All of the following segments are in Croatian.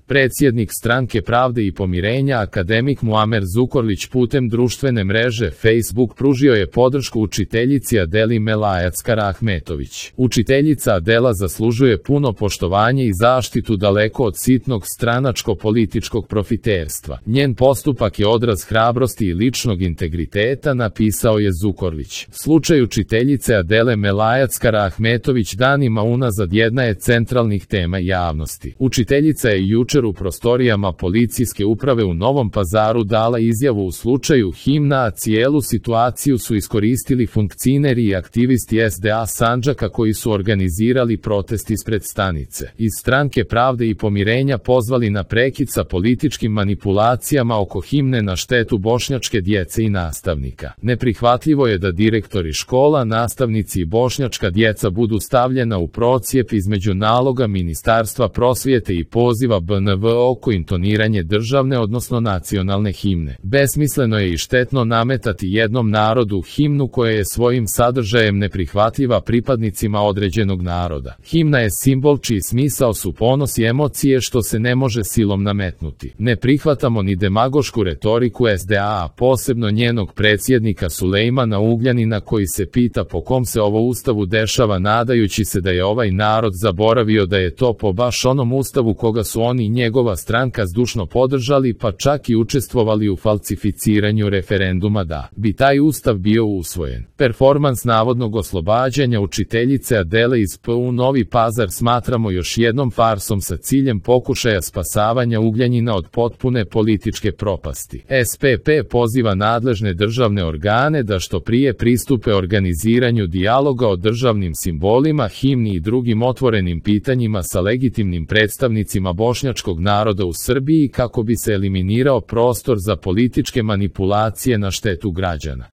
Predsjednik Stranke pravde i pomirenja akademik Muamer Zukorlić putem društvene mreže Facebook pružio je podršku učiteljici Adeli Melajackar-Ahmetović. Učiteljica Adela zaslužuje puno poštovanje i zaštitu daleko od sitnog stranačko-političkog profiterstva. Njen postupak je odraz hrabrosti i ličnog integriteta, napisao je Zukorlić. Slučaj učiteljice Adele Melajackar-Ahmetović danima unazad jedna je centralnih tema javnosti. Učiteljica je jučer u prostorijama policijske uprave u Novom Pazaru dala izjavu u slučaju himna, a cijelu situaciju su iskoristili funkcioneri i aktivisti SDA Sandžaka koji su organizirali protest ispred stanice. Iz Stranke pravde i pomirenja pozvali na prekid sa političkim manipulacijama oko himne na štetu bošnjačke djece i nastavnika. Neprihvatljivo je da direktori škola, nastavnici i bošnjačka djeca budu stavljena u procijep između naloga Ministarstva prosvjete i poziva BNV oko intoniranje državne odnosno nacionalne himne. Besmisleno je i štetno nametati jednom narodu himnu koja je svojim sadržajem neprihvatljiva pripadnicima određenog naroda. Himna je simbol čiji smisao su ponos i emocije što se ne može silom nametnuti. Ne prihvatamo ni demagošku retoriku SDA, a posebno njenog predsjednika Sulejmana Ugljanina koji se pita po kom se ovo ustavu dešava, nadajući se da je ovaj narod zaboravio da je to po baš onom ustavu koga su oni i njegova stranka zdušno podržali, pa čak i učestvovali u falsificiranju referenduma da bi taj ustav bio usvojen. Performans navodnog oslobađanja učiteljice Adele iz PU Novi Pazar smatramo još jednom farsom sa ciljem pokušaja spasavanja Ugljanina od potpune političke propasti. SPP poziva nadležne državne organe da što prije pristupe organiziranju dijaloga o državnim simbolima, himni i drugim otvorenim pitanjima sa legitimnim predstavnicima bošnjačkog naroda u Srbiji kako bi se eliminirao prostor za političke manipulacije na štetu građana.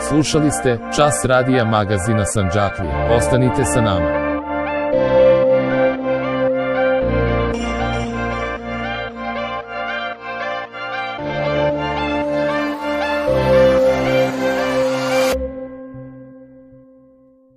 Slušali ste Čas radija magazina Sandžaklija. Ostanite sa nama.